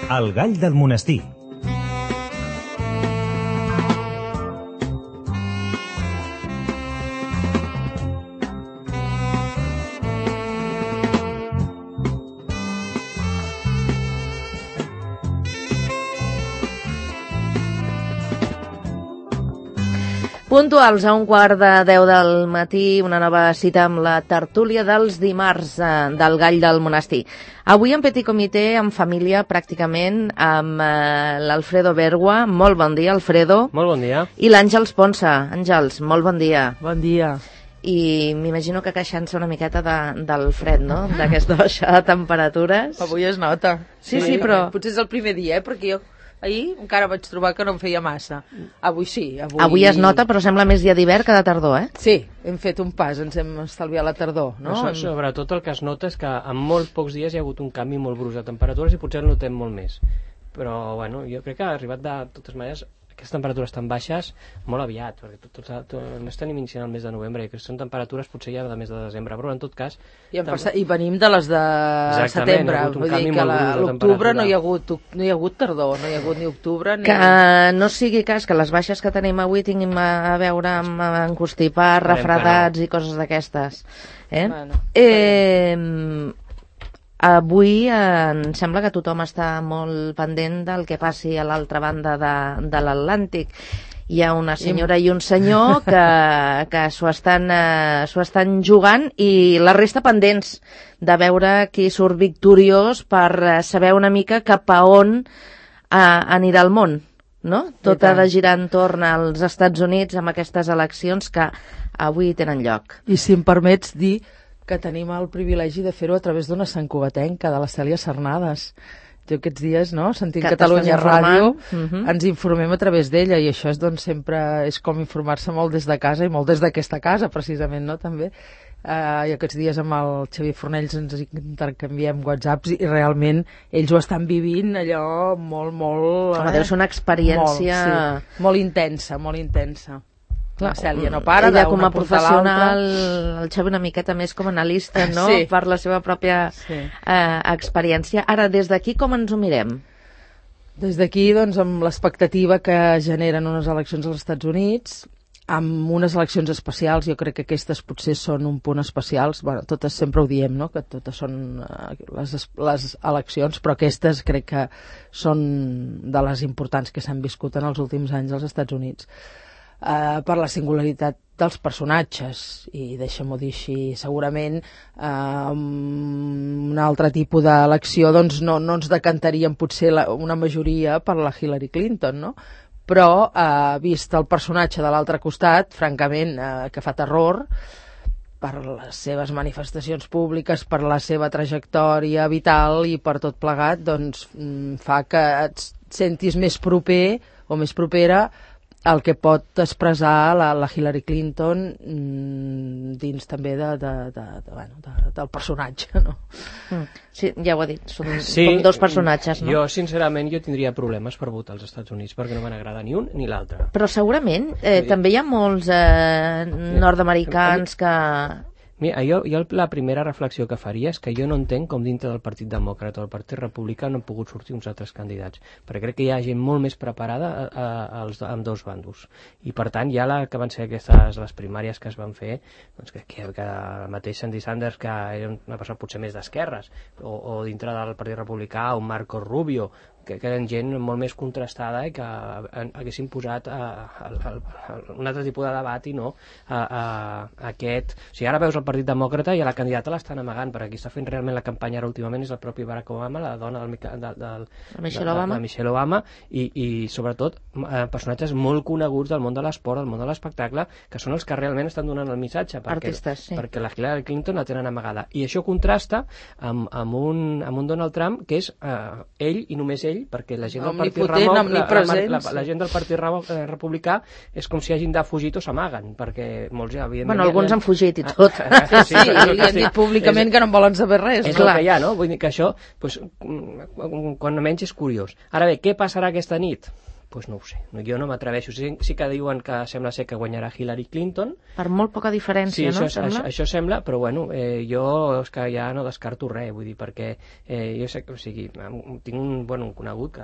El gall del monestir. Puntuals a 9:15 del matí, una nova cita amb la tertúlia dels dimarts del Gall del Monestir. Avui en petit comitè, en família, pràcticament, amb l'Alfredo Bergua. Molt bon dia, Alfredo. Molt bon dia. I l'Àngels Ponsa. Àngels, molt bon dia. Bon dia. I m'imagino que queixant-se una miqueta del fred, no?, d'aquesta baixada de temperatures. Avui es nota. Sí, però... Potser és el primer dia, perquè jo ahir encara vaig trobar que no em feia massa. Avui sí. Avui es nota, però sembla més dia d'hivern que de tardor, eh? Sí, hem fet un pas, ens hem estalviat la tardor, no? Sobretot el que es nota és que en molt pocs dies hi ha hagut un canvi molt brusc de temperatures i potser el notem molt més. Però, bueno, jo crec que ha arribat de totes maneres aquestes temperatures tan baixes molt aviat, perquè no estem iniciant el mes de novembre, que són temperatures potser ja de mes de desembre, però en tot cas... I venim de les de setembre, vull dir que a l'octubre no hi ha hagut tardor, no hi ha hagut ni octubre ni... Que no sigui cas que les baixes que tenim avui tinguin a veure amb encostipar, refredats i coses d'aquestes. Bueno, avui em sembla que tothom està molt pendent del que passi a l'altra banda de l'Atlàntic. Hi ha una senyora i un senyor que s'ho estan jugant i la resta pendents de veure qui surt victoriós per saber una mica cap a on anirà el món, no? Tot ha de girar entorn als Estats Units amb aquestes eleccions que avui tenen lloc. I si em permets dir que tenim el privilegi de fer-ho a través d'una santcugatenca, de la Cèlia Sarnades. Jo aquests dies, no?, sentint Catalunya Ràdio, ens informem a través d'ella, i això és, doncs, sempre és com informar-se molt des de casa i molt des d'aquesta casa, precisament, no?, també. I aquests dies amb el Xavier Fornells ens intercanviem whatsapps i realment ells ho estan vivint allò molt... Home, deu ser una experiència... Molt intensa, molt intensa. La Cèlia no para, ella com a professional, el Xavi una miqueta més com a analista, no?, sí, per la seva pròpia experiència. Ara, des d'aquí com ens ho mirem? Des d'aquí, doncs, amb l'expectativa que generen unes eleccions als Estats Units, amb unes eleccions especials. Jo crec que aquestes potser són un punt especials. Bueno, totes sempre ho diem, no?, que totes són les eleccions, però aquestes crec que són de les importants que s'han viscut en els últims anys als Estats Units. Per la singularitat dels personatges, i deixa'm-ho dir així, segurament un altre tipus d'elecció doncs no ens decantaríem potser una majoria per la Hillary Clinton, no? Però vist el personatge de l'altre costat, francament, que fa terror per les seves manifestacions públiques, per la seva trajectòria vital i per tot plegat, doncs fa que et sentis més proper o més propera el que pot expressar la Hillary Clinton dins també del personatge, no? Sí, ja ho ha dit, són com dos personatges, no? Jo, sincerament, tindria problemes per votar als Estats Units perquè no me n'agrada ni un ni l'altre. Però segurament també hi ha molts nord-americans que... Mira, jo la primera reflexió que faria és que jo no entenc com dintre del Partit Demòcrata o del Partit Republicà no han pogut sortir uns altres candidats, perquè crec que hi ha gent molt més preparada amb dos bandos. I per tant, ja que van ser les primàries que es van fer, doncs crec que el mateix Sandy Sanders, que era una persona potser més d'esquerres, o dintre del Partit Republicà, un Marco Rubio, que eren gent molt més contrastada i que haguessin posat un altre tipus de debat i no aquest... O sigui, ara veus el Partit Demòcrata i a la candidata l'estan amagant, perquè qui està fent realment la campanya ara últimament és el propi Barack Obama, la dona de Michelle Obama, i sobretot personatges molt coneguts del món de l'esport, del món de l'espectacle, que són els que realment estan donant el missatge, perquè la Hillary Clinton la tenen amagada. I això contrasta amb un Donald Trump que és ell i només ell, perquè la gent del Partit Republicà és com si hagin de fugir o s'amaguen, perquè molts ja evidentment... Bueno, alguns han fugit i tot. Sí, i han dit públicament que no en volen saber res. És el que hi ha, no? Vull dir que això, quan menys és curiós. Ara bé, què passarà aquesta nit? Doncs no ho sé, jo no m'atreveixo. Sí que diuen que sembla ser que guanyarà Hillary Clinton. Per molt poca diferència, sí, no? Això sembla, però bueno, jo és que ja no descarto res, vull dir, perquè jo sé que, o sigui, tinc un conegut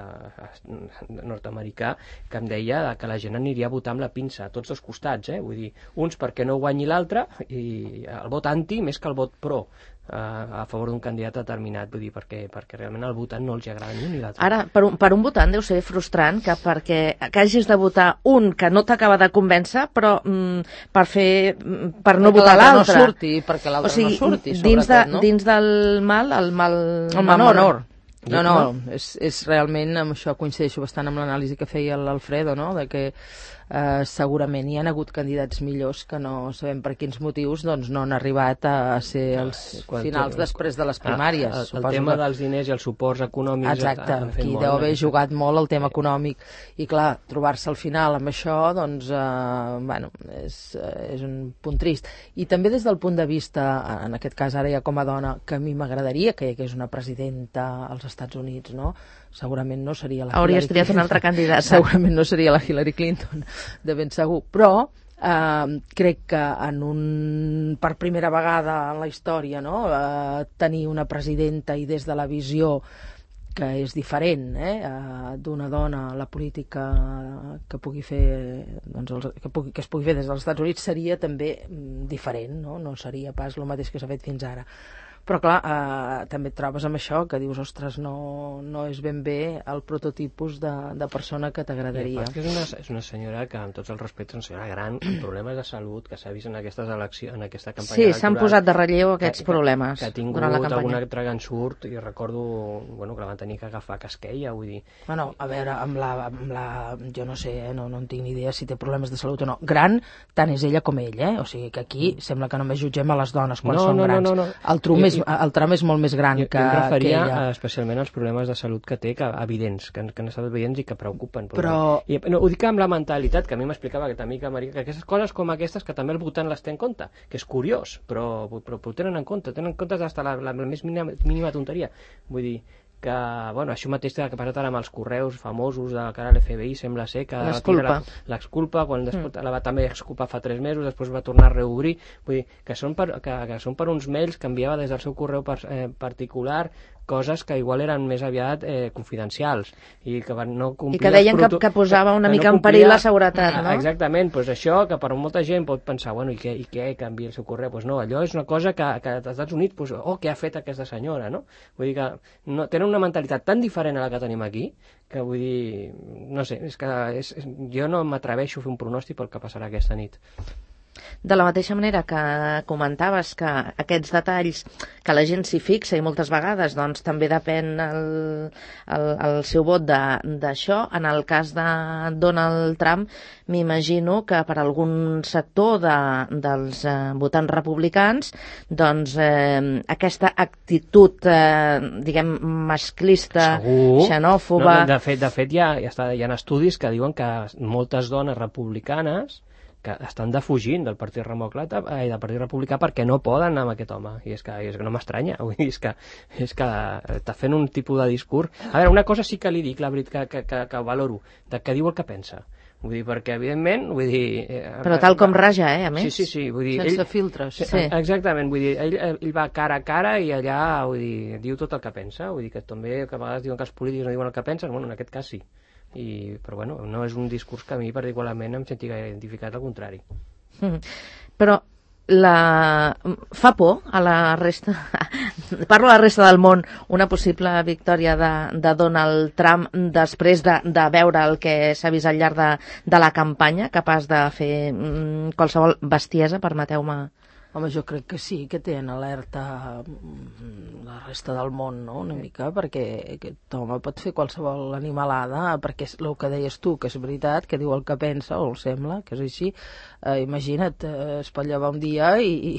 nord-americà que em deia que la gent aniria a votar amb la pinça a tots dos costats, vull dir, uns perquè no guanyi l'altre i el vot anti més que el vot pro a favor d'un candidat determinat, vull dir, perquè realment al votant no els agrada ni un ni l'altre. Ara, per un votant deu ser frustrant que hagis de votar un que no t'acaba de convèncer, però per no votar l'altre. Perquè l'altre no surti, sobretot, no? Dins del mal, el mal menor. No, és realment, amb això coincideixo bastant amb l'anàlisi que feia l'Alfredo, no?, de que segurament hi ha hagut candidats millors que no sabem per quins motius doncs no han arribat a ser els finals després de les primàries. El tema dels diners i els suports econòmics. Exacte, aquí deu haver jugat molt el tema econòmic i clar, trobar-se al final amb això doncs, bueno, és un punt trist. I també des del punt de vista, en aquest cas ara ja com a dona, que a mi m'agradaria que hi hagués una presidenta als Estats Units, no? Segurament no seria la Hauria estudiat una altra candidata. Segurament no seria la Hillary Clinton, de ben segur. Però crec que per primera vegada en la història, no? Tenir una presidenta i des de la visió que és diferent d'una dona a la política que pugui fer doncs, que es pugui fer des dels Estats Units seria també diferent, no seria pas el mateix que s'ha fet fins ara. Però clar, també et trobes amb això que dius, ostres, no és ben bé el prototipus de persona que t'agradaria. És una senyora que, amb tots els respectes, una senyora gran, amb problemes de salut, que s'ha vist en aquestes eleccions, en aquesta campanya electoral. Sí, s'han posat de relleu aquests problemes que ha tingut algun altre ensurt, i recordo que la van tenir que agafar casquella, vull dir... Bueno, a veure, amb la jo no sé, no en tinc ni idea si té problemes de salut o no. Gran, tant és ella com ell, O sigui que aquí sembla que només jutgem a les dones quan són grans. El Trump és molt més gran que ella. Jo em referia especialment als problemes de salut que té, evidents, que han estat evidents i que preocupen. Ho dic amb la mentalitat, que a mi m'explicava aquesta amiga Maria, que aquestes coses com aquestes que també el votant les té en compte, que és curiós, però ho tenen en compte fins a la més mínima tonteria. Vull dir que, bueno, això mateix que ha passat ara amb els correus famosos de cara a l'FBI, sembla ser que l'exculpa, quan després la va també exculpar fa 3 mesos, després va tornar a reobrir, vull dir, que són per uns mails que enviava des del seu correu particular, coses que igual eren més aviat confidencials i que no complia... I que deien que posava una mica en perill la seguretat, no? Exactament, doncs això que per molta gent pot pensar, bueno, i què canvia el seu correu? Doncs no, allò és una cosa que als Estats Units, què ha fet aquesta senyora, no? Vull dir que tenen una mentalitat tan diferent a la que tenim aquí, que vull dir, no sé, és que jo no m'atreveixo a fer un pronòstic pel que passarà aquesta nit. De la mateixa manera que comentaves que aquests detalls que la gent s'hi fixa i moltes vegades doncs també depèn el seu vot d'això, en el cas de Donald Trump m'imagino que per algun sector dels votants republicans doncs aquesta actitud diguem masclista, xenòfoba... De fet hi ha estudis que diuen que moltes dones republicanes que estan defugint del Partit Republicà perquè no poden amb aquest home, i és que no m'estranya, vull dir, és que està fent un tipus de discurs. A veure, una cosa sí que li dic, la veritat, que valoro, que diu el que pensa. Vull dir, perquè evidentment, vull dir... Però tal com raja, a més. Sí, vull dir... Sense filtres. Sí. Exactament, vull dir, ell va cara a cara i allà, vull dir, diu tot el que pensa, vull dir, que també que a vegades diuen que els polítics no diuen el que pensen, bueno, en aquest cas sí. Però bueno, no és un discurs que a mi particularment em senti gaire identificat, al contrari. Però fa por a la resta parlo a la resta del món una possible victòria de Donald Trump després de veure el que s'ha vist al llarg de la campanya, capaç de fer qualsevol bestiesa, permeteu-me? Home, jo crec que sí, que té en alerta la resta del món, no?, una mica, perquè aquest home pot fer qualsevol animalada, perquè és el que deies tu, que és veritat, que diu el que pensa, o el sembla, que és així. Imagina't, es pot llevar un dia i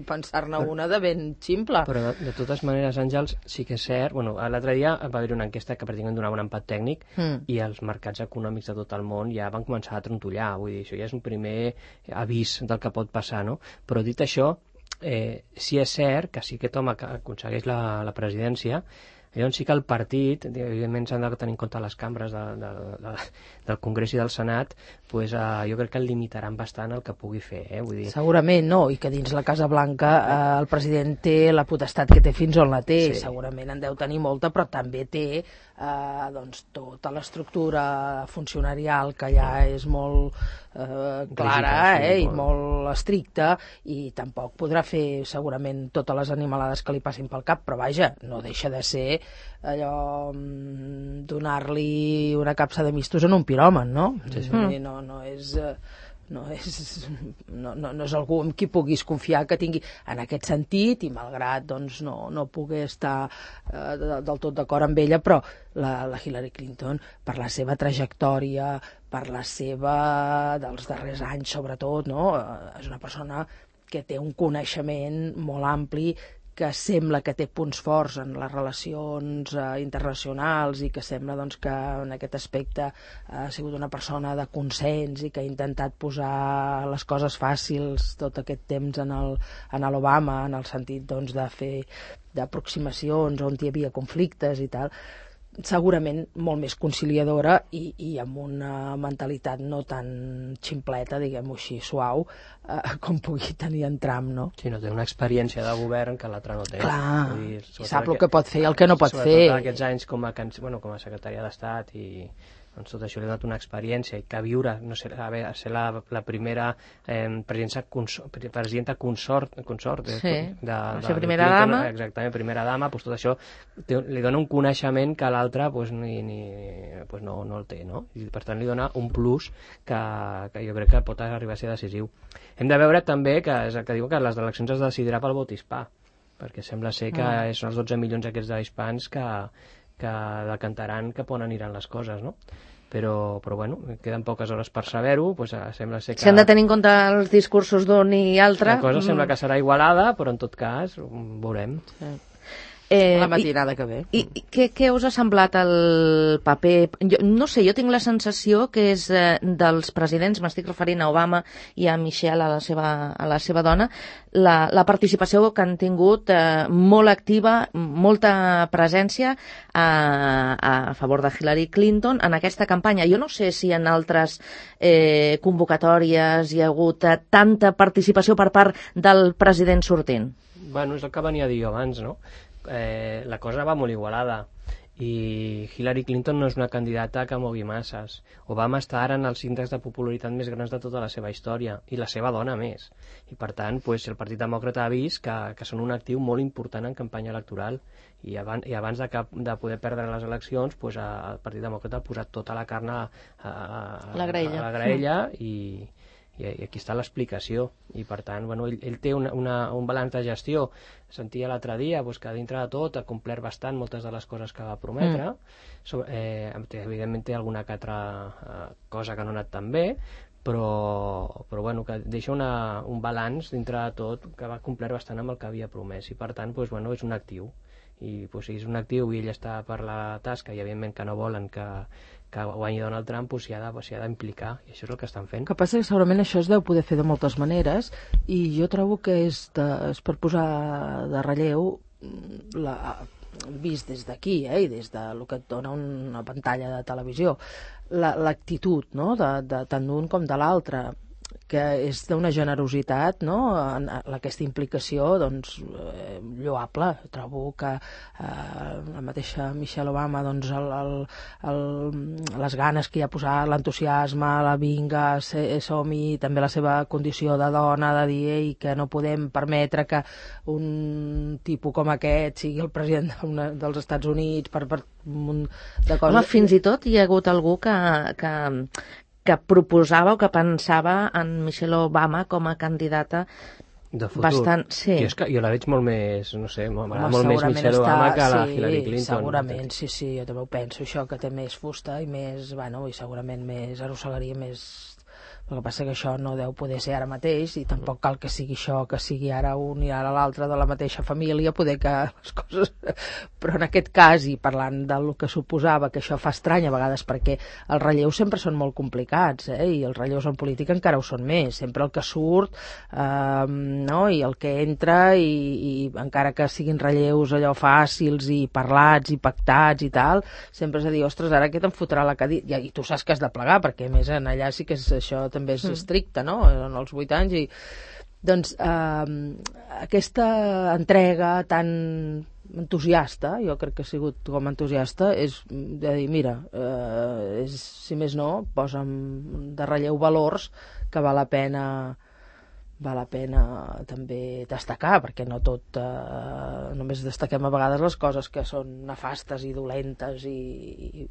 pensar-ne una de ben ximple. Però de totes maneres, Àngels, sí que és cert, bueno, l'altre dia va haver una enquesta que pràcticament donava un empat tècnic i els mercats econòmics de tot el món ja van començar a trontollar, vull dir, això ja és un primer avís del que pot passar, no? Però dit això, sí és cert que si aquest home que aconsegueix la presidència, Llavors sí que el partit, evidentment s'han de tenir en compte les cambres del Congrés i del Senat, pues, jo crec que el limitaran bastant el que pugui fer. Vull dir... Segurament no, i que dins la Casa Blanca el president té la potestat que té fins on la té, sí. Segurament en deu tenir molta, però també té doncs, tota l'estructura funcionarial que ja és molt clara i molt estricta, i tampoc podrà fer segurament totes les animalades que li passin pel cap, però vaja, no deixa de ser allò donar-li una capsa de mistos en un piròman, no? Sí. No és algú amb qui puguis confiar que tingui en aquest sentit, i malgrat doncs, no pugui estar del tot d'acord amb ella, però la Hillary Clinton, per la seva trajectòria, per la seva dels darrers anys sobretot, no? És una persona que té un coneixement molt ampli, que sembla que té punts forts en les relacions internacionals, i que sembla doncs, que en aquest aspecte ha sigut una persona de consens i que ha intentat posar les coses fàcils tot aquest temps en l'Obama, en el sentit doncs, de fer d'aproximacions on hi havia conflictes i tal. Segurament molt més conciliadora i amb una mentalitat no tan ximpleta, diguem-ho així, suau, com pugui tenir en Trump, no? Sí, no té una experiència de govern que l'altre no té. Clar, i sap el que pot fer i el que no pot fer. Sobretot aquests anys com a secretària d'Estat, i doncs tot això li ha donat una experiència, i que viure, no sé, ser la primera presidenta consort sí, de primera dama. Exactament, primera dama, doncs tot això li dona un coneixement que l'altre pues, no el té, no? I per tant li dona un plus que jo crec que pot arribar a ser decisiu. Hem de veure també que diu que les eleccions es decidirà pel vot hispà, perquè sembla ser que són els 12 milions aquests d'hispans que decantaran cap on aniran les coses, no? Però bueno, queden poques hores per saber-ho, doncs sembla ser que... Si han de tenir en compte els discursos d'un i altre... La cosa sembla que serà igualada, però en tot cas veurem. Sí. La matinada que ve. I què us ha semblat el paper? No sé, jo tinc la sensació que és dels presidents, m'estic referint a Obama i a Michelle, a la seva dona, la participació que han tingut molt activa, molta presència a favor de Hillary Clinton en aquesta campanya. Jo no sé si en altres convocatòries hi ha hagut tanta participació per part del president sortint. Bueno, és el que venia a dir jo abans, no? La cosa va molt igualada, i Hillary Clinton no és una candidata que mogui masses. Obama està ara en els índexs de popularitat més grans de tota la seva història, i la seva dona més, i per tant el Partit Demòcrata ha vist que són un actiu molt important en campanya electoral, i abans de poder perdre les eleccions, el Partit Demòcrata ha posat tota la carn a la graella, i aquí està l'explicació. I per tant, ell té un balanç de gestió. Sentia l'altre dia que dintre de tot ha complert bastant moltes de les coses que va prometre. Evidentment té alguna que altra cosa que no ha anat tan bé, però que deixa un balanç dintre de tot que va complert bastant amb el que havia promès, i per tant és un actiu. I si és un actiu i ell està per la tasca, i evidentment que no volen que guanyi Donald Trump, s'hi ha d'implicar, i això és el que estan fent. El que passa que segurament això es deu poder fer de moltes maneres, i jo trobo que és per posar de relleu vist des d'aquí, i des del que et dona una pantalla de televisió, l'actitud, no?, de tant d'un com de l'altre, que és d'una generositat, no?, en aquesta implicació, doncs, lloable. Trobo que la mateixa Michelle Obama, doncs, les ganes que hi ha posat, l'entusiasme, la vinga, som-hi, també la seva condició de dona, de dir que no podem permetre que un tipus com aquest sigui el president dels Estats Units per un munt de coses. Home, fins i tot hi ha hagut algú que proposava o que pensava en Michelle Obama com a candidata de futur. Bastant, sí. Jo la veig molt més, no sé, m'agrada molt més Michelle Obama que la Hillary Clinton. Segurament, sí, jo també ho penso, això, que té més fusta i més, i segurament més arrossegaria més El que passa que això no deu poder ser ara mateix i tampoc cal que sigui això, que sigui ara un i ara l'altre de la mateixa família, poder que les coses... Però en aquest cas, i parlant del que suposava, que això fa estrany a vegades, perquè els relleus sempre són molt complicats, i els relleus en política encara ho són més. Sempre el que surt, no? I el que entra, i encara que siguin relleus allò fàcils i parlats i pactats i tal, sempre és a dir, ostres, ara aquest em fotrà la cadira, i tu saps que has de plegar, perquè a més en allà sí que això també és estricte, no? En els 8 anys, i doncs aquesta entrega tan entusiasta, jo crec que ha sigut com entusiasta, és de dir, mira, si més no, posa'm de relleu valors que val la pena també destacar, perquè no tot només destaquem a vegades les coses que són nefastes i dolentes i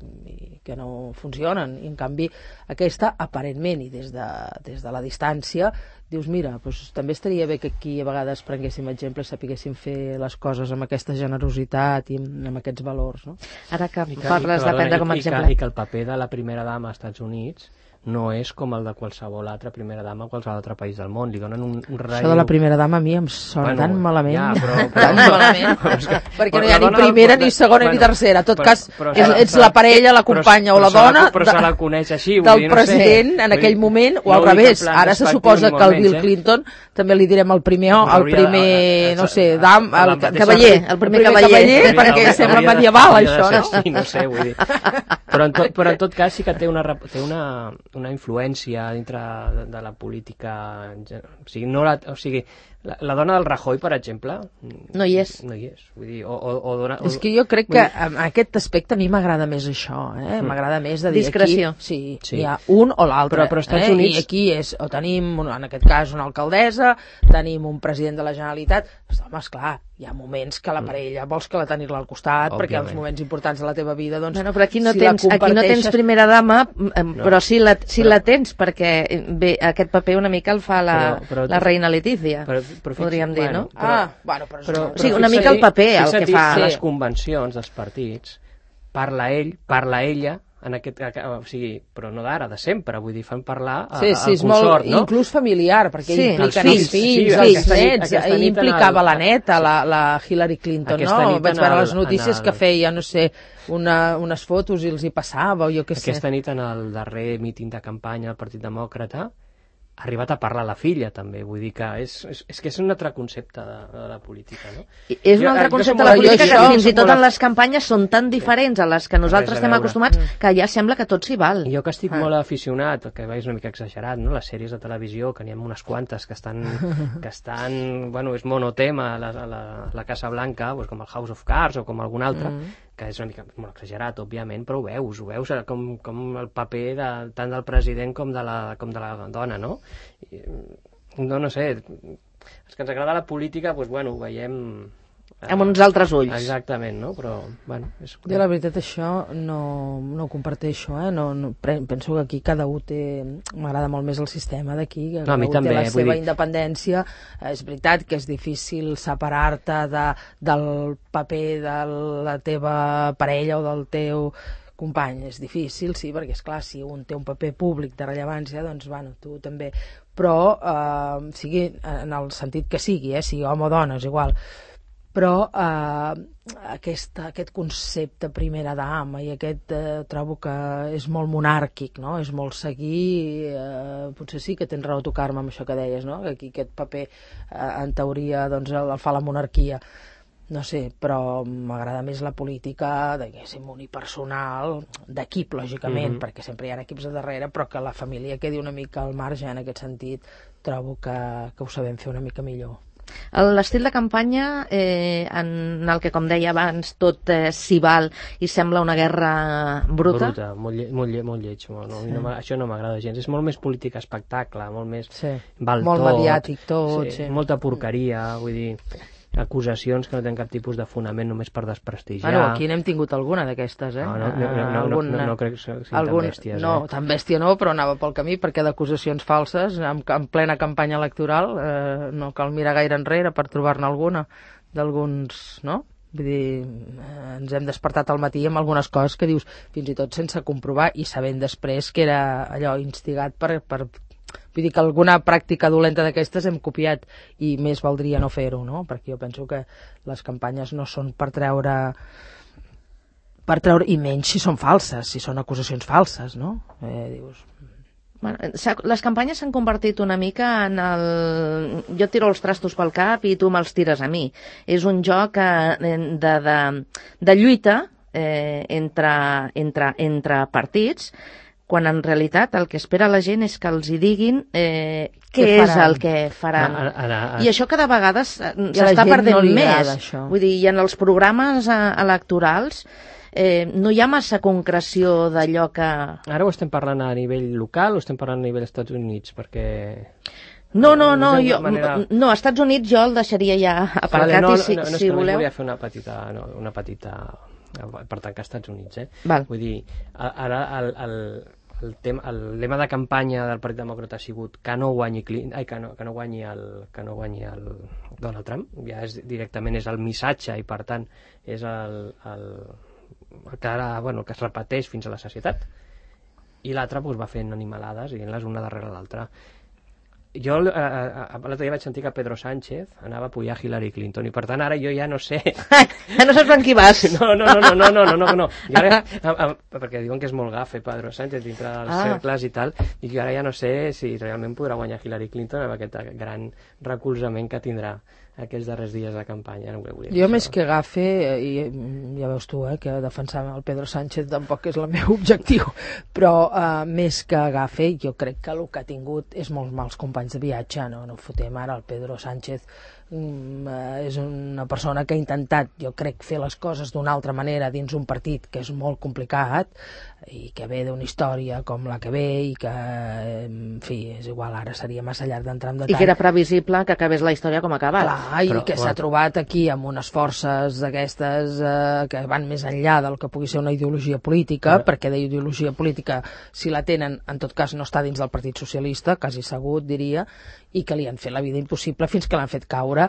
que no funcionen, i en canvi aquesta aparentment i des de la distància dius, mira, doncs també estaria bé que aquí a vegades prenguéssim exemple, sapiguéssim fer les coses amb aquesta generositat i amb aquests valors, no? Ara que parles de prendre com a exemple... I que el paper de la primera dama als Estats Units no és com el de qualsevol altra primera dama a qualsevol altre país del món. Li donen un relleu... Això de la primera dama a mi em sona tan malament. Ja, però tan malament. Perquè no hi ha ni primera, ni segona, ni tercera. En tot cas, ets la parella, la companya o la dona se la coneix així, del president en aquell moment, o al revés. Ara se suposa que el Bill Clinton també li direm el primer, no sé, el cavaller, el primer cavaller, perquè sembla medieval, això, no? Sí, no sé, vull dir. Però en tot cas sí que té una influència dintre de la política, o sigui, la dona del Rajoy, per exemple, no hi és. No hi és. Vull dir, és que jo crec que en aquest aspecte a mi m'agrada més això, m'agrada més de dir discreció. Aquí, sí, hi ha un o l'altre, però Estats Units... i aquí és, o tenim, en aquest cas, una alcaldessa, tenim un president de la Generalitat, home, esclar, hi ha moments que la parella vols que la tenir-la al costat, perquè els moments importants de la teva vida, doncs... Bueno, però aquí no tens primera dama, però sí la tens, perquè bé, aquest paper una mica el fa la reina Letícia, podríem dir, no? Sí, una mica el paper el que fa... Les convencions dels partits, parla ell, parla ella, o sigui, però no d'ara, de sempre, vull dir, fan parlar al consort, no? Inclús familiar, perquè impliquen els fills, els nets, implicava la neta, la Hillary Clinton, no? Vaig veure les notícies que feia, no sé, unes fotos i els hi passava, o jo què sé. Aquesta nit en el darrer míting de campanya del Partit Demòcrata ha arribat a parlar la filla, també. Vull dir que és que és un altre concepte de la política, no? És un altre concepte de la política que fins i tot en les campanyes són tan diferents a les que nosaltres estem acostumats que ja sembla que tot s'hi val. Jo que estic molt aficionat, que és una mica exagerat, no? Les sèries de televisió, que n'hi ha unes quantes que estan bueno, és monotema a la Casa Blanca, doncs com el House of Cards o com algun altre, que és una mica molt exagerat, òbviament, però ho veus com el paper tant del president com de la dona, no? No sé, els que ens agrada la política, doncs, bueno, ho veiem... amb uns altres ulls. Exactament, no? Però, bueno... Jo, la veritat, això no ho comparteixo, penso que aquí cada un té... M'agrada molt més el sistema d'aquí, que cada un té la seva independència. És veritat que és difícil separar-te del paper de la teva parella o del teu company. És difícil, sí, perquè, esclar, si un té un paper públic de rellevància, doncs, bueno, tu també. Però, sigui en el sentit que sigui, sigui home o dona, és igual. Però aquest concepte primera dama i aquest trobo que és molt monàrquic, no? És molt seguir, potser sí que tens raó a tocar-me amb això que deies, no? Que aquí aquest paper en teoria doncs, el fa la monarquia, no sé, però m'agrada més la política, diguéssim, unipersonal, d'equip, lògicament, perquè sempre hi ha equips a darrere, però que la família quedi una mica al marge en aquest sentit, trobo que ho sabem fer una mica millor. L'estil de campanya en el que, com deia abans, tot s'hi val i sembla una guerra bruta. Molt lleig. Això no m'agrada gens. És molt més política espectacle, molt més val molt tot, mediàtic tot. Molta porqueria, vull dir... acusacions que no tenen cap tipus de fonament només per desprestigiar. Bueno, aquí n'hem tingut alguna d'aquestes, No crec que sigui tan bèsties. No, tan bèstia no, però anava pel camí, perquè d'acusacions falses, en plena campanya electoral, no cal mirar gaire enrere per trobar-ne alguna, d'alguns, no? Vull dir, ens hem despertat al matí amb algunes coses que dius, fins i tot sense comprovar, i sabent després que era allò instigat per Vull dir que alguna pràctica dolenta d'aquestes hem copiat i més valdria no fer-ho, no? Perquè jo penso que les campanyes no són per treure, i menys si són falses, si són acusacions falses, no? Dius... Bueno, les campanyes s'han convertit una mica en el... Jo tiro els trastos pel cap i tu me'ls tires a mi. És un joc de lluita entre partits, quan en realitat el que espera la gent és que els hi diguin què és el que faran. I això cada vegada s'està perdent més. Vull dir, i en els programes electorals no hi ha massa concreció d'allò que... Ara ho estem parlant a nivell local o estem parlant a nivell dels Estats Units? Perquè... No, a Estats Units jo el deixaria ja aparcat si voleu. Volia fer una petita... per tancar als Estats Units, Val. Vull dir, ara el lema de campanya del Partit Demòcrata ha sigut que no guanyi que no guanyi el Donald Trump. Ja directament és el missatge i per tant és que ara, que es repeteix fins a la sacietat. I l'altre va fent animalades i dient-les una darrere l'altra. Jo l'altre dia vaig sentir que Pedro Sánchez anava a apoyar Hillary Clinton i per tant ara jo ja no sé... No saps amb qui vas? No. I ara, perquè diuen que és molt gafe Pedro Sánchez dintre dels cercles i tal, i jo ara ja no sé si realment podrà guanyar Hillary Clinton amb aquest gran recolzament que tindrà aquests darrers dies de campanya. Jo més que gafe, i ja veus tu que defensar el Pedro Sánchez tampoc és el meu objectiu, però més que gafe jo crec que el que ha tingut és molts mals companys de viatge, no fotem ara el Pedro Sánchez. És una persona que ha intentat, jo crec, fer les coses d'una altra manera dins un partit que és molt complicat i que ve d'una història com la que ve i que, en fi, és igual, ara seria massa llarg d'entrar en detall. I que era previsible que acabés la història com ha acabat. Clar, i que s'ha trobat aquí amb unes forces d'aquestes que van més enllà del que pugui ser una ideologia política, perquè d'ideologia política, si la tenen, en tot cas no està dins del Partit Socialista, quasi segur, diria, i que li han fet la vida impossible fins que l'han fet caure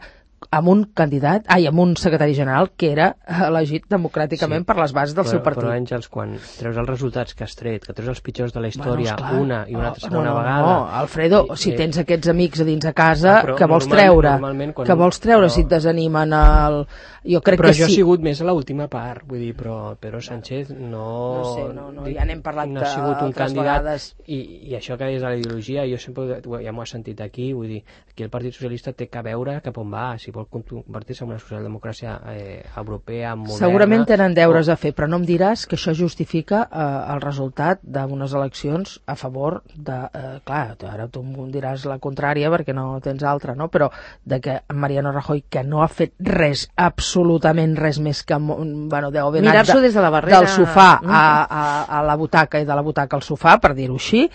amb un amb un secretari general que era elegit democràticament per les bases del seu partit. Però, Àngels, quan treus els resultats que has tret, que treus els pitjors de la història una i una segona vegada... No, Alfredo, si tens aquests amics a dins a casa, que vols treure? Que vols treure si et desanimen el... Jo crec que sí. Però jo he sigut més a l'última part, vull dir, però Pedro Sánchez no... No sé, ja n'hem parlat no ha sigut un candidat vegades. I això que és de la ideologia, jo sempre ja m'ho he sentit aquí, vull dir, aquí el Partit Socialista té que veure cap on va, si vol convertir-se en una socialdemocràcia europea, moderna... Segurament tenen deures a fer, però no em diràs que això justifica el resultat d'unes eleccions a favor de... clar, ara tu em diràs la contrària perquè no tens altra, no? Però de que Mariano Rajoy, que no ha fet res, absolutament res més que... Bueno, deu haver anat des de la barrera... del sofà a la butaca i de la butaca al sofà, per dir-ho així,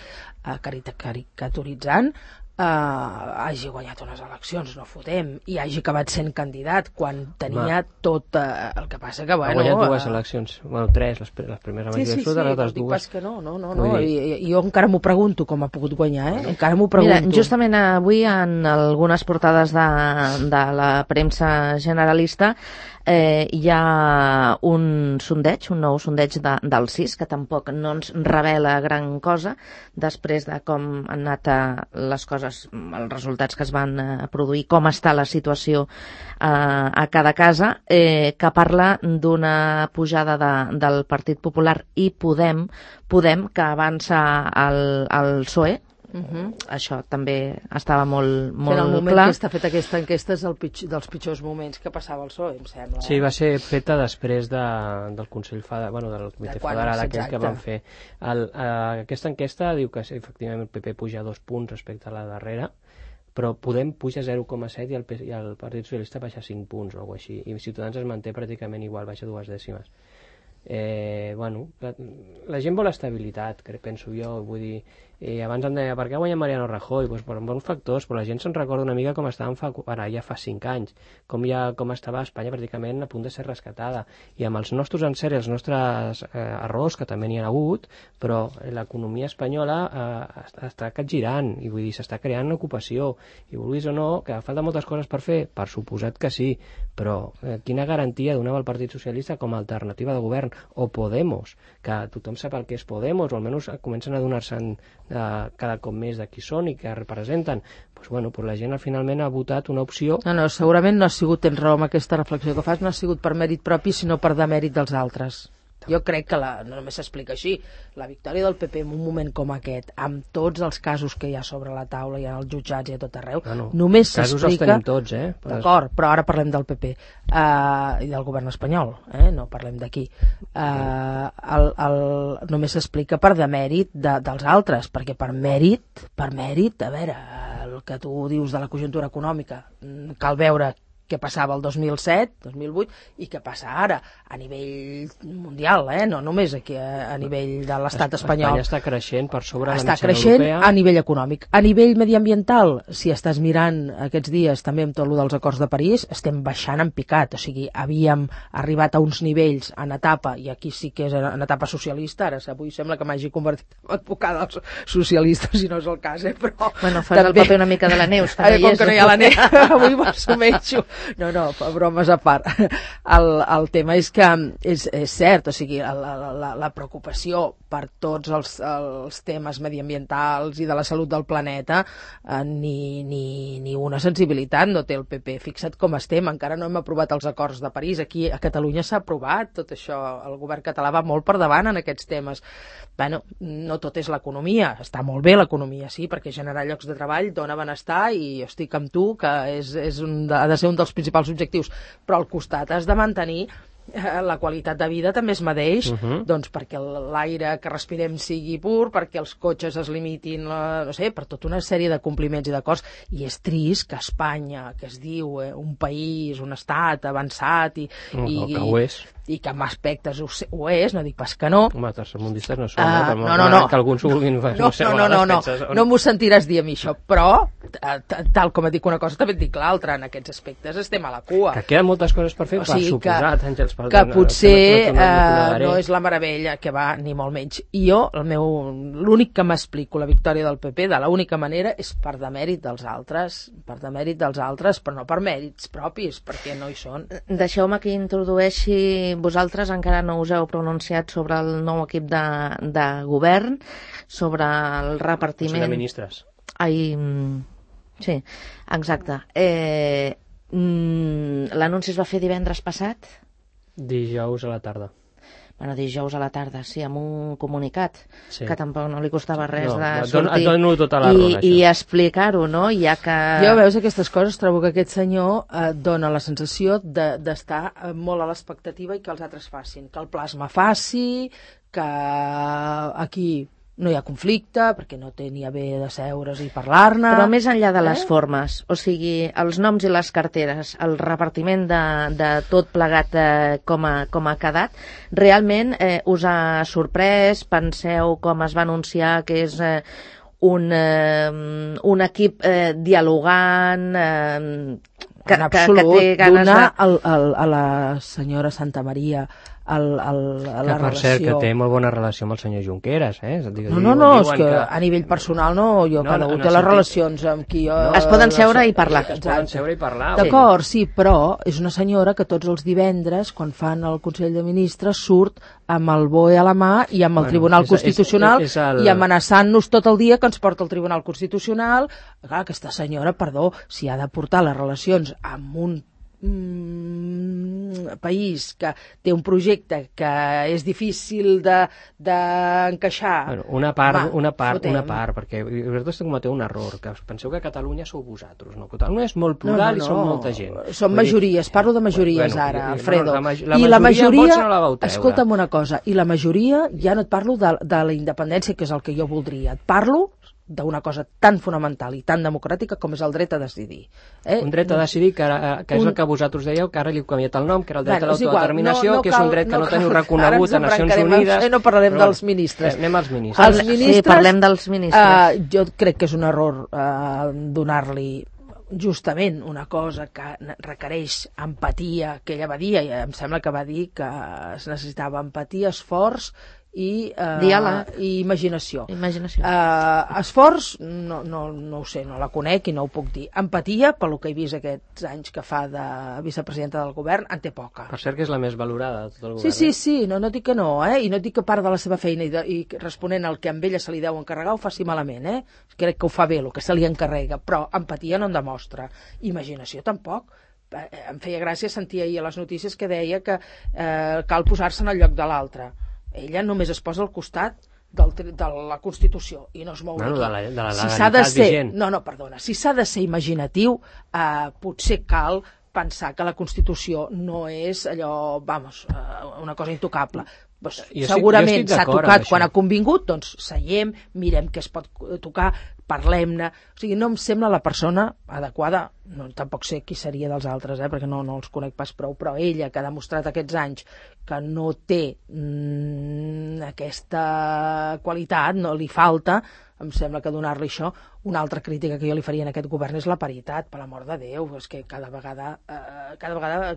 caricaturitzant, hagi guanyat unes eleccions, no fotem, i hagi acabat sent candidat quan tenia tot el que passa que, bueno... Ha guanyat dues eleccions, bueno, tres, les primeres abans sí, les altres dic dues. Pas que no, i jo encara m'ho pregunto com ha pogut guanyar, encara m'ho pregunto. Mira, justament avui en algunes portades de la premsa generalista hi ha un nou sondeig del CIS, que tampoc no ens revela gran cosa després de com han anat les coses, els resultats que es van produir, com està la situació a cada casa, que parla d'una pujada del Partit Popular i Podem que avança al PSOE. Això també estava molt clar. En el moment que està feta aquesta enquesta és dels pitjors moments que passava el PSOE, em sembla. Sí, va ser feta després del Consell del Comitè Federal aquest que van fer. Aquesta enquesta diu que efectivament el PP puja 2 punts respecte a la darrera, però Podem puja 0,7 i el Partit Socialista baixa 5 punts o alguna cosa així, i Ciutadans es manté pràcticament igual, baixa 2 dècimes. La gent vol estabilitat, penso jo, vull dir, abans em deia, per què guanya Mariano Rajoy? Pues per bons factors, però la gent se'n recorda una mica com estàvem ja fa 5 anys, com estava Espanya pràcticament a punt de ser rescatada, i amb els nostres encerts, els nostres errors, que també n'hi ha hagut, però l'economia espanyola està capgirant, i vull dir, s'està creant ocupació, i vulguis o no, que falta moltes coses per fer, per suposat que sí, però quina garantia donava el Partit Socialista com a alternativa de govern, o Podemos, que tothom sap el que és Podemos, o almenys comencen a donar-se'n cada cop més de qui són i què representen. Doncs la gent finalment ha votat una opció. No, segurament no ha sigut, tens raó amb aquesta reflexió que fas, no ha sigut per mèrit propi, sinó per demèrit dels altres. Jo crec que no només s'explica així. La victòria del PP en un moment com aquest, amb tots els casos que hi ha sobre la taula, hi ha els jutjats i a tot arreu, només s'explica... Casos els tenim tots, D'acord, però ara parlem del PP i del govern espanyol, no parlem d'aquí. Només s'explica per demèrit dels altres, perquè per mèrit, a veure, el que tu dius de la conjuntura econòmica, cal veure què passava el 2007, 2008 i què passa ara a nivell mundial, no només aquí a nivell de l'estat espanyol. Espanya està creixent per sobre la mitjana europea. Està creixent a nivell econòmic. A nivell mediambiental, si estàs mirant aquests dies també amb tot el dels acords de París, estem baixant en picat, o sigui, havíem arribat a uns nivells en etapa, i aquí sí que és en etapa socialista, ara avui sembla que m'hagi convertit en advocada dels socialistes, si no és el cas, però... Bueno, fas el paper una mica de la Neus, que com que no hi ha la Neus, avui m'assumeixo. No, bromes a part. El tema és que és cert, o sigui, la preocupació per tots els temes mediambientals i de la salut del planeta, ni una sensibilitat no té el PP. Fixa't com estem, encara no hem aprovat els acords de París. Aquí a Catalunya s'ha aprovat tot això, el govern català va molt per davant en aquests temes. Bueno, no tot és l'economia, està molt bé l'economia, sí, perquè generar llocs de treball dona benestar i jo estic amb tu que ha de ser un dels principals objectius, però al costat has de mantenir la qualitat de vida també es medeix, doncs perquè l'aire que respirem sigui pur, perquè els cotxes es limitin, no sé, per tota una sèrie de compliments i d'acords, i és trist que Espanya, que es diu un país, un estat avançat que ho és, i que en aspectes ho és, no dic pas que no. Home, tercermundistes no són, no. Que alguns ho vulguin fer. No m'ho sentiràs dir a mi això, però tal com et dic una cosa també et dic l'altra, en aquests aspectes estem a la cua. Que queden moltes coses per fer, per suposat, Àngels, que potser no és la meravella que va, ni molt menys. I jo, l'únic que m'explico la victòria del PP de l'única manera és per demèrit dels altres, però no per mèrits propis, perquè no hi són. Deixeu-me que introdueixi, vosaltres encara no us heu pronunciat sobre el nou equip de govern, sobre el repartiment... de ministres. Sí, exacte. L'anunci es va fer divendres passat? Dijous a la tarda. Bueno, dijous a la tarda, sí, amb un comunicat, sí, que tampoc no li costava res de sortir et dono tota la raó, i explicar-ho, no? Ja que... Jo, veus, aquestes coses, trobo que aquest senyor dona la sensació d'estar molt a l'expectativa i que els altres facin, que el plasma faci, que aquí no hi ha conflicte, perquè no té ni a bé de seure's i parlar-ne... Però més enllà de les formes, o sigui, els noms i les carteres, el repartiment de tot plegat com ha quedat, realment us ha sorprès? Penseu com es va anunciar que és un equip dialogant... en absolut, donar a la senyora Santamaria la relació... Per cert, que té molt bona relació amb el senyor Junqueras, No, és que a nivell personal cada un té les relacions amb qui jo... Es poden seure i parlar. Es poden seure i parlar. D'acord, sí, però és una senyora que tots els divendres, quan fan el Consell de Ministres, surt amb el BOE a la mà i amb el Tribunal Constitucional i amenaçant-nos tot el dia que ens porta el Tribunal Constitucional. Clar, aquesta senyora, perdó, si ha de portar les relacions amb un país que té un projecte que és difícil d'encaixar... Una part, perquè vosaltres cometeu un error, que penseu que Catalunya sou vosaltres, no? Catalunya és molt plural i som molta gent. Són majories, parlo de majories ara, Alfredo. I la majoria, escolta'm una cosa, i la majoria, ja no et parlo de la independència, que és el que jo voldria, et parlo d'una cosa tan fonamental i tan democràtica com és el dret a decidir. Un dret a decidir que és el que vosaltres dèieu, que ara li heu canviat el nom, que era el dret a l'autodeterminació, que és un dret que no teniu reconegut a Nacions Unides. No parlarem dels ministres. Anem als ministres. Sí, parlem dels ministres. Jo crec que és un error donar-li justament una cosa que requereix empatia, que ella va dir, i em sembla que va dir que es necessitava empatia, esforç i diàleg i imaginació. Esforç, no ho sé, no la conec i no ho puc dir. Empatia, pel que he vist aquests anys que fa de vicepresidenta del govern, en té poca. Per cert que és la més valorada de tot el govern. Sí, no dic que no, i no dic que part de la seva feina i responent al que amb ella se li deu encarregar ho faci malament, crec que ho fa bé, el que se li encarrega, però empatia no en demostra. Imaginació tampoc. Em feia gràcia sentir ahir a les notícies que deia que cal posar-se en el lloc de l'altre. Ella només es posa al costat de la Constitució i no es mou d'aquí. De la legalitat vigent. Perdona, si s'ha de ser imaginatiu, potser cal pensar que la Constitució no és allò, una cosa intocable. Segurament s'ha tocat quan ha convingut, doncs seiem, mirem què es pot tocar, parlem-ne. O sigui, no em sembla la persona adequada, tampoc sé qui seria dels altres, perquè no els conec pas prou, però ella, que ha demostrat aquests anys que no té aquesta qualitat, no li falta, em sembla que donar-li això. Una altra crítica que jo li faria en aquest govern és la paritat, per l'amor de Déu, és que cada vegada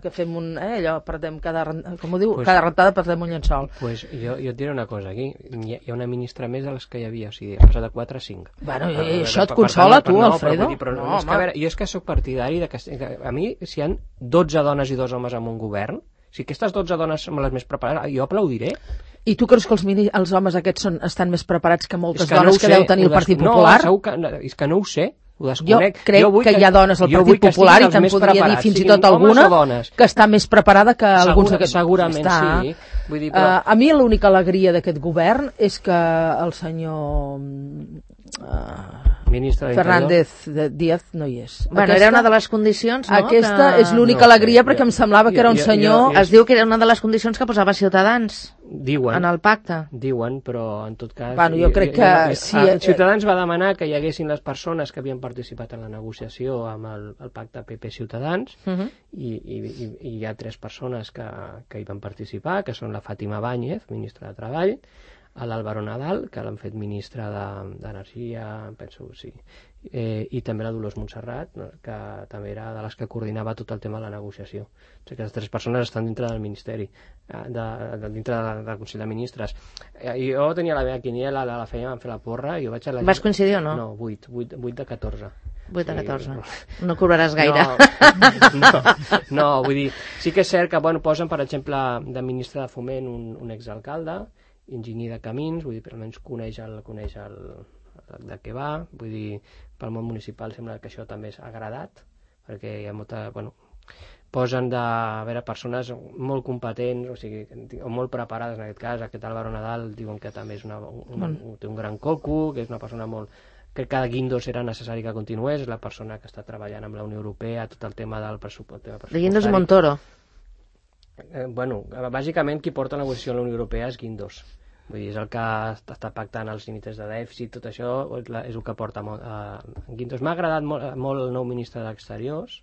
que fem allò, perdem cada rentada perdem un llençol. Pues jo et diré una cosa, aquí hi ha una ministra més de les que hi havia, o sigui, ha passat a 4 a 5. Bueno, això et consola, tu, Alfredo? No, és que, a veure, jo és que sóc partidari de que a mi, si hi ha 12 dones i 2 homes en un govern, si aquestes 12 dones són les més preparades, jo aplaudiré. I tu creus que els homes aquests estan més preparats que moltes dones que deu tenir el Partit Popular? No, és que no ho sé, ho desconec. Jo crec que hi ha dones al Partit Popular i te'n podria dir fins i tot alguna que està més preparada que alguns d'aquests. Segurament sí. A mi l'única alegria d'aquest govern és que el senyor Fernández Díaz no hi és. Bueno, era una de les condicions, no? Aquesta és l'única alegria perquè em semblava que era un senyor... Es diu que era una de les condicions que posava Ciutadans en el pacte. Diuen, però en tot cas... Bueno, jo crec que... Ciutadans va demanar que hi haguessin les persones que havien participat en la negociació amb el pacte PP-Ciutadans i hi ha 3 persones que hi van participar, que són la Fàtima Báñez, ministra de Treball, l'Álvaro Nadal, que l'han fet ministre d'Energia, penso, sí, i també la Dolors Montserrat, que també era de les que coordinava tot el tema de la negociació. O sigui que les 3 persones estan dintre del Ministeri, dintre del Consell de Ministres. Jo tenia la meva quiniela, la feina, vam fer la porra, i jo vaig a la... Vas coincidir o no? No, 8 de 14. 8 de 14. No cobraràs gaire. No, vull dir, sí que és cert que posen, per exemple, de ministre de Foment un exalcalde, enginyer de camins, vull dir, però almenys coneix de què va, vull dir, pel món municipal sembla que això també s'ha agradat, perquè hi ha molta, posen persones molt competents, o sigui, o molt preparades en aquest cas. Aquest Álvaro Nadal diuen que també té un gran coco, que és una persona molt... Crec que a Guindos era necessari que continués, és la persona que està treballant amb la Unió Europea, tot el tema del pressupost. De Guindos i Montoro. Bàsicament qui porta la negociació a la Unió Europea és Guindos. Vull dir, és el que està pactant els límits de dèficit, tot això és el que porta Guindos. M'ha agradat molt el nou ministre d'Exteriors.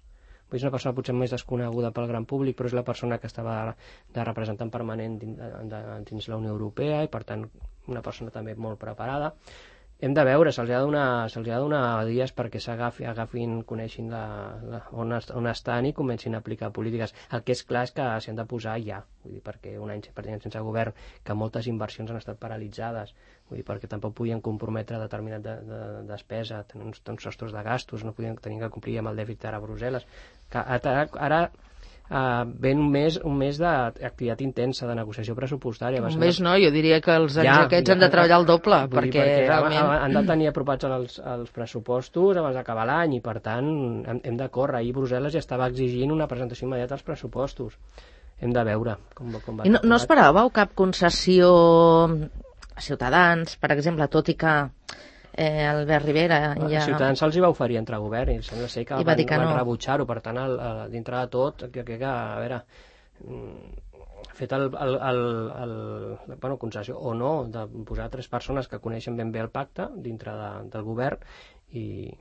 És una persona potser més desconeguda pel gran públic, però és la persona que estava de representant permanent dins la Unió Europea i, per tant, una persona també molt preparada. Hem de veure, se'ls ha de donar dies perquè s'agafin, coneixin on estan i comencin a aplicar polítiques. El que és clar és que s'hi han de posar ja, vull dir, perquè un any sense govern, que moltes inversions han estat paralitzades, vull dir, perquè tampoc podien comprometre determinat despesa, tenir uns sostres de gastos, no tenien que complir amb el dèficit ara a Brussel·les. Ara ven un mes d'activitat intensa de negociació pressupostària. Un mes no, jo diria que els anys aquests han de treballar el doble, perquè realment... Han de tenir apropats els pressupostos abans d'acabar l'any i, per tant, hem de córrer. Ahir Brussel·les ja estava exigint una presentació immediata als pressupostos. Hem de veure com va. I no esperàveu cap concessió a Ciutadans, per exemple, tot i que Albert Rivera Ciutadans se'ls hi va oferir entrar a govern i sembla ser que van rebutjar-ho, per tant dintre de tot crec que a veure fet concessió o no de posar 3 persones que coneixen ben bé el pacte dintre del govern i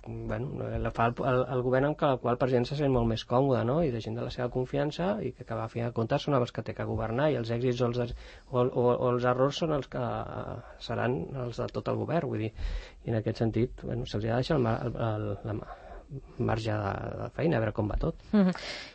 fa el govern amb el qual el president se sent molt més còmode, no? I de gent de la seva confiança i que a fi de comptes són els que té que governar i els èxits o els errors són els que seran els de tot el govern, vull dir, i en aquest sentit se'ls ha de deixar marge de feina, a veure com va tot.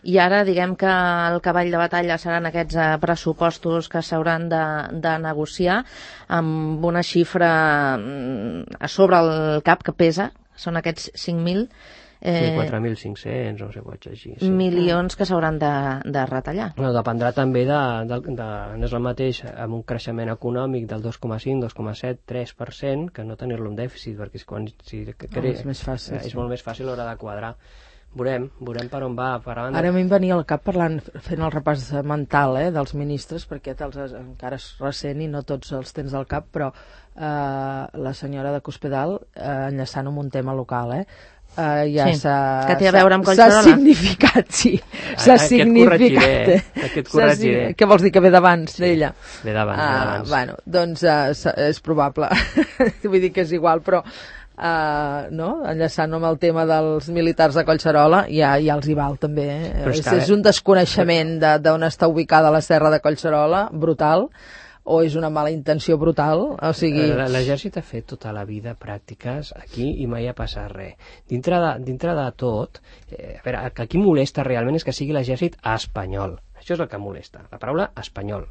I ara diguem que el cavall de batalla seran aquests pressupostos que s'hauran de negociar amb una xifra a sobre el cap que pesa, són aquests 5.000 4.500, no sé què vaig llegir. Sí. milions que s'hauran de retallar. Bueno, dependrà també no és el mateix amb un creixement econòmic del 2,5, 2,7, 3%, que no tenir-lo en dèficit, perquè és més fàcil. És molt més fàcil a l'hora de quadrar. Veurem per on va. Ara m'hi venia al cap fent el repàs mental dels ministres, perquè encara és recent i no tots els tens al cap, però la senyora de Cospedal, enllaçant amb un tema local, ja sí, que té a veure amb Collserola. S'ha significat, sí. S'ha significat. Aquest corregiré. Què vols dir, que ve d'abans, d'ella? Ve d'abans. Bueno, doncs és probable. Vull dir que és igual, però no? Enllaçant amb el tema dels militars de Collserola, ja els hi val també. És un desconeixement d'on està ubicada la serra de Collserola, brutal, o és una mala intenció brutal, o sigui... L'exèrcit ha fet tota la vida pràctiques aquí i mai ha passat res. Dintre de tot, a veure, el que aquí molesta realment és que sigui l'exèrcit espanyol. Això és el que molesta, la paraula espanyol.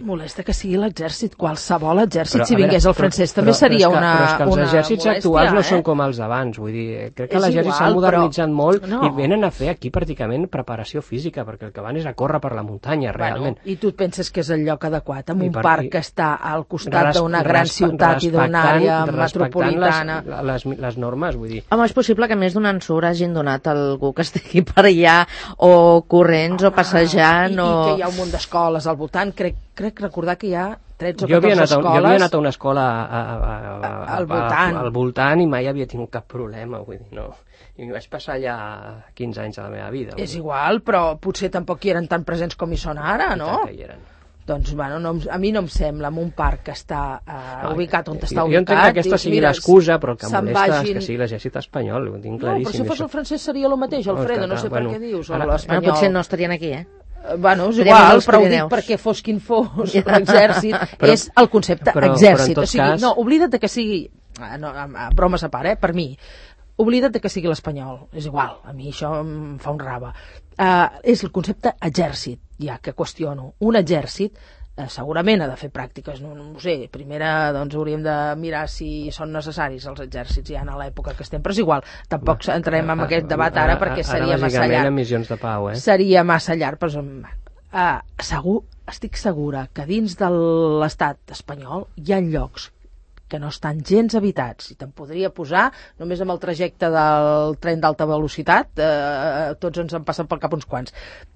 Molesta que sigui l'exèrcit, qualsevol exèrcit, si vingués el francès també seria una molèstia. Però és que els exèrcits actuals no són com els d'abans, vull dir, crec que l'exèrcit s'ha modernitzat molt i venen a fer aquí pràcticament preparació física, perquè el que van és a córrer per la muntanya, realment. I tu et penses que és el lloc adequat, amb un parc que està al costat d'una gran ciutat i d'una àrea metropolitana. Les normes, vull dir. Home, és possible que més d'un ensurt hagin donat a algú que estigui per allà, o corrents, o passejant, i que hi ha un munt d'escoles al voltant, crec recordar que hi ha 13 o 14 escoles... Jo havia anat a una escola al voltant i mai havia tingut cap problema, vull dir, no. I m'hi vaig passar ja 15 anys de la meva vida. És igual, però potser tampoc hi eren tan presents com hi són ara, no? I tant que hi eren. Doncs, bueno, a mi no em sembla, en un parc que està ubicat on està ubicat... Jo entenc que aquesta sigui l'excusa, però el que molesta és que sigui l'exèrcit espanyol, ho tinc claríssim. No, però si fos el francès seria el mateix, Alfredo, no sé per què dius, o l'espanyol. Potser no estarien aquí, Bueno, és igual, però ho dic perquè fos quin fos l'exèrcit, és el concepte exèrcit. O sigui, no, oblida't que sigui, bromes a part, per mi, oblida't que sigui l'espanyol, és igual, a mi això em fa un rave. És el concepte exèrcit, ja que qüestiono. Un exèrcit segurament ha de fer pràctiques, no ho sé, primera doncs hauríem de mirar si són necessaris els exèrcits ja en l'època que estem, però és igual, tampoc entrarem en aquest debat ara perquè seria massa llarg. Ara missions de pau, Seria massa llarg, però estic segura que dins de l'estat espanyol hi ha llocs que no estan gens habitats, i te'n podria posar només amb el trajecte del tren d'alta velocitat, tots ens en passen pel cap uns quants,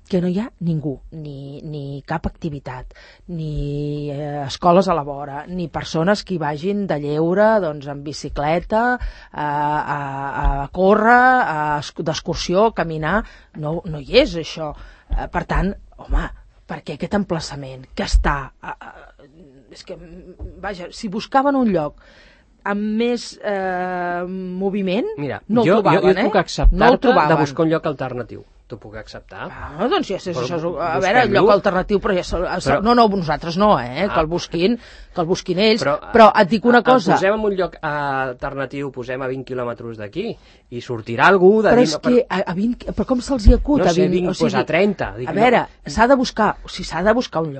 que no hi ha ningú, ni cap activitat, ni escoles a la vora, ni persones que hi vagin de lleure, doncs, en bicicleta, a córrer, d'excursió, a caminar, no hi és això. Per tant, home, per què aquest emplaçament que està... És que, vaja, si buscaven un lloc amb més moviment, no el trobaven, jo puc acceptar-te de buscar un lloc alternatiu. T'ho puc acceptar. Doncs ja sé, a veure, lloc alternatiu, però ja... No, nosaltres no, que el busquin ells, però et dic una cosa... Posem en un lloc alternatiu, posem a 20 quilòmetres d'aquí, i sortirà algú de... Però és que a 20... Però com se'ls hi acut? No sé, 20, a 30. A veure, s'ha de buscar un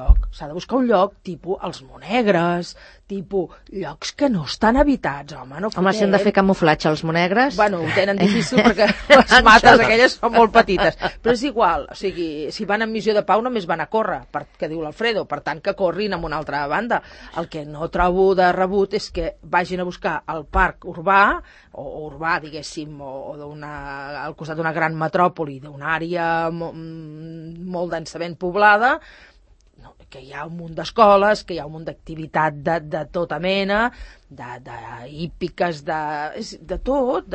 lloc, tipus els Monegres, tipus llocs que no estan habitats, home, no fotem. Home, si han de fer camuflatge als Monegres... Bueno, ho tenen difícil perquè les mates aquelles són molt petites, però és igual, o sigui, si van en missió de pau només van a córrer, que diu l'Alfredo, per tant que corrin amb una altra banda. El que no trobo de rebut és que vagin a buscar el parc urbà, o urbà, diguéssim, o al costat d'una gran metròpoli, d'una àrea molt densament poblada, que hi ha un munt d'escoles, que hi ha un munt d'activitat de tota mena, hípiques, de tot,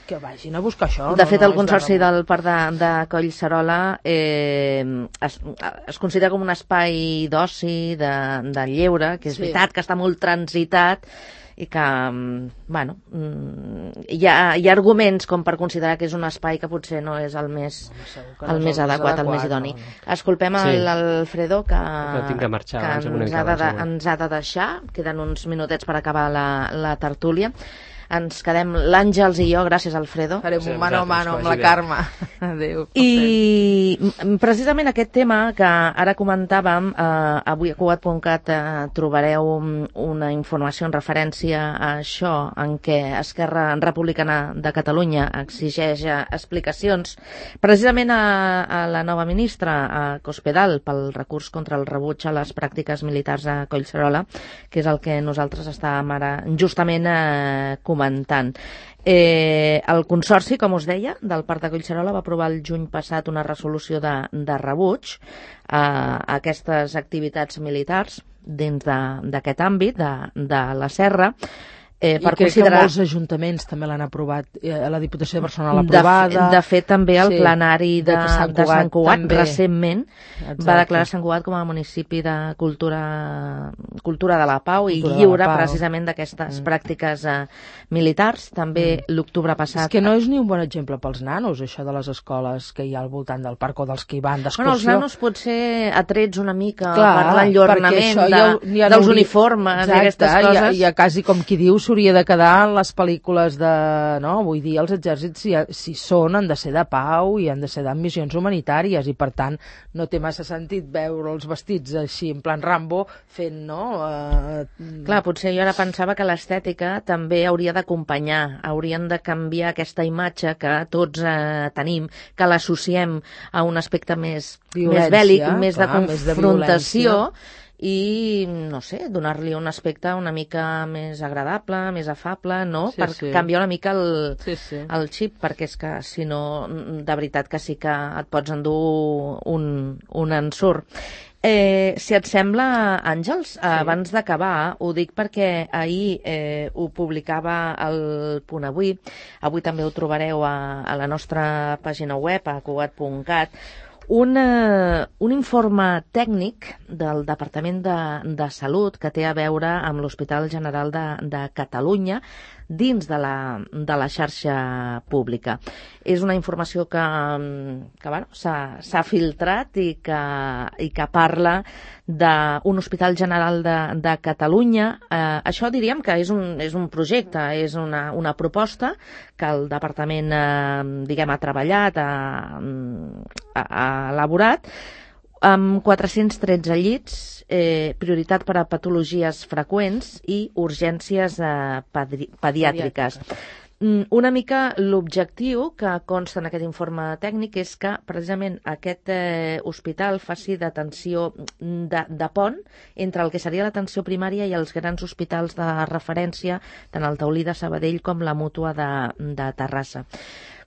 que vagin a buscar això. De fet, el Consorci del Parc de Collserola es considera com un espai d'oci, de lleure, que és veritat que està molt transitat, i que, bueno, hi ha arguments com per considerar que és un espai que potser no és el més adequat, el més idoni. Escolpem l'Alfredo, que ens ha de deixar, queden uns minutets per acabar la tertúlia. ens quedem l'Àngels i jo, gràcies Alfredo. Farem un mano a mano amb la Carme. Adéu. I precisament aquest tema que ara comentàvem, avui a Cugat.cat trobareu una informació en referència a això, en què Esquerra Republicana de Catalunya exigeix explicacions precisament a la nova ministra, a Cospedal, pel recurs contra el rebuig a les pràctiques militars a Collserola, que és el que nosaltres estàvem ara justament comentant. El Consorci, com us deia, del Parc de Collserola va aprovar el juny passat una resolució de rebuig a aquestes activitats militars dins d'aquest àmbit de la Serra. I crec que molts ajuntaments també l'han aprovat, la Diputació de Barcelona l'ha aprovada. De fet, també el plenari de Sant Cugat recentment va declarar Sant Cugat com a municipi de cultura de la pau i lliure precisament d'aquestes pràctiques militars. També l'octubre passat... És que no és ni un bon exemple pels nanos, això de les escoles que hi ha al voltant del parc o dels que hi van d'excursió. Bueno, els nanos potser atrets una mica per l'enlluernament dels uniformes i aquestes coses. Ja quasi com qui diu hauria de quedar en les pel·lícules de... No? Vull dir, els exèrcits, si són, han de ser de pau i han de ser de missions humanitàries i, per tant, no té massa sentit veure els vestits així, en plan Rambo, fent, no? Clar, potser jo ara pensava que l'estètica també hauria d'acompanyar, haurien de canviar aquesta imatge que tots tenim, que l'associem a un aspecte més bèl·lic, més de confrontació, i, no sé, donar-li un aspecte una mica més agradable, més afable, no? Per canviar una mica el xip, perquè és que, si no, de veritat que sí que et pots endur un ensurt. Si et sembla, Àngels, abans d'acabar, ho dic perquè ahir ho publicava el Punt Avui, avui també ho trobareu a la nostra pàgina web, a Cugat.cat, un informe tècnic del Departament de Salut que té a veure amb l'Hospital General de Catalunya dins de la xarxa pública. És una informació que bueno, s'ha filtrat i que parla d'un Hospital General de Catalunya. Això diríem que és un projecte, és una proposta que el Departament ha treballat, ha elaborat, amb 413 llits, prioritat per a patologies freqüents i urgències pediàtriques. Una mica l'objectiu que consta en aquest informe tècnic és que precisament aquest hospital faci d'atenció de pont entre el que seria l'atenció primària i els grans hospitals de referència, tant el Taulí de Sabadell com la Mútua de Terrassa.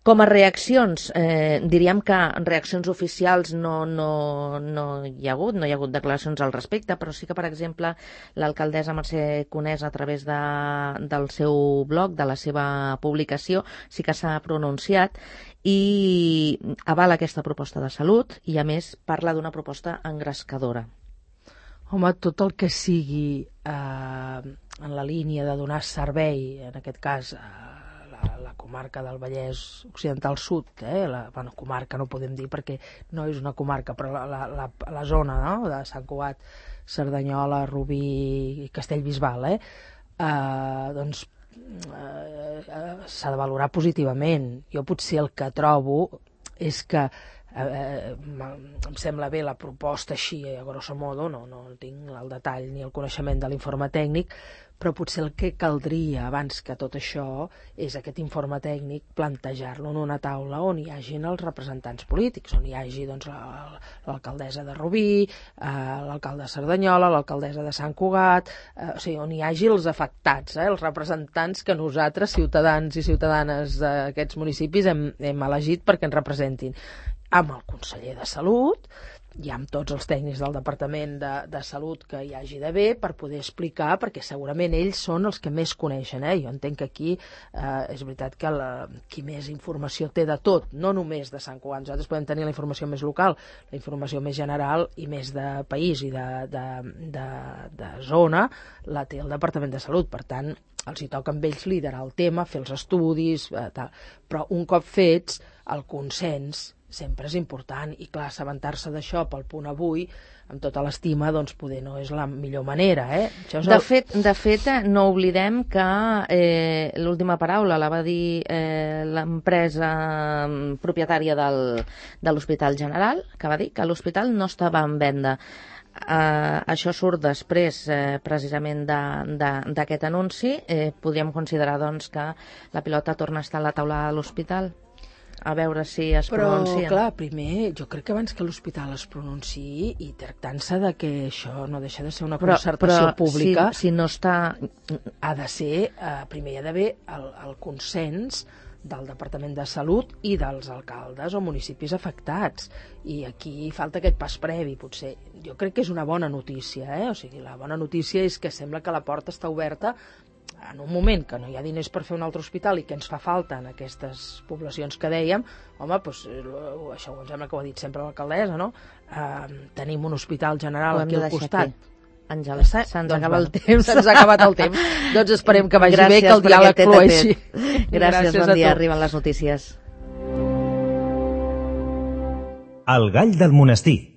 Com a reaccions, diríem que reaccions oficials no hi ha hagut declaracions al respecte, però sí que, per exemple, l'alcaldessa Mercè Conés, a través del seu blog, de la seva publicació, sí que s'ha pronunciat i avala aquesta proposta de salut i, a més, parla d'una proposta engrescadora. Home, tot el que sigui en la línia de donar servei, en aquest cas, la comarca del Vallès Occidental Sud, comarca no podem dir perquè no és una comarca, però la zona, no?, de Sant Cugat, Cerdanyola, Rubí i Castellbisbal, doncs s'ha de valorar positivament. Jo potser el que trobo és que em sembla bé la proposta així, a grosso modo, no tinc el detall ni el coneixement de l'informe tècnic, però potser el que caldria abans que tot això és aquest informe tècnic plantejar-lo en una taula on hi hagin els representants polítics, on hi hagi doncs, l'alcaldessa de Rubí, l'alcalde de Cerdanyola, l'alcaldessa de Sant Cugat, o sigui, on hi hagi els afectats, els representants que nosaltres, ciutadans i ciutadanes d'aquests municipis, hem elegit perquè ens representin, amb el conseller de Salut i amb tots els tècnics del Departament de Salut que hi hagi d'haver per poder explicar, perquè segurament ells són els que més coneixen. Jo entenc que aquí és veritat que qui més informació té de tot, no només de Sant Cugat. Nosaltres podem tenir la informació més local, la informació més general i més de país i de zona la té el Departament de Salut. Per tant, els hi toca amb ells liderar el tema, fer els estudis, tal. Però un cop fets, el consens sempre és important, i clar, assabentar-se d'això pel punt avui, amb tota l'estima, doncs poder no és la millor manera, Això és De fet, no oblidem que l'última paraula la va dir l'empresa propietària de l'Hospital General, que va dir que l'hospital no estava en venda. Això surt després precisament d'aquest anunci. Podríem considerar doncs que la pilota torna a estar a la taula de l'hospital, a veure si es pronuncien. Però, clar, primer, jo crec que abans que l'hospital es pronunciï, i tractant-se de que això no deixa de ser una concertació pública, si no està... ha de ser, primer hi ha d'haver el consens del Departament de Salut i dels alcaldes o municipis afectats, i aquí falta aquest pas previ, potser. Jo crec que és una bona notícia, O sigui, la bona notícia és que sembla que la porta està oberta en un moment que no hi ha diners per fer un altre hospital i que ens fa falta en aquestes poblacions que dèiem. Home, doncs, això em sembla que ho ha dit sempre l'alcaldessa, no? Tenim un hospital general aquí al costat. Àngela, se'ns acaba el temps. Se'ns ha acabat el temps. Doncs esperem que vagi bé, que el diàleg flueixi. Gràcies, bon dia. Arriben les notícies. El gall del monestir.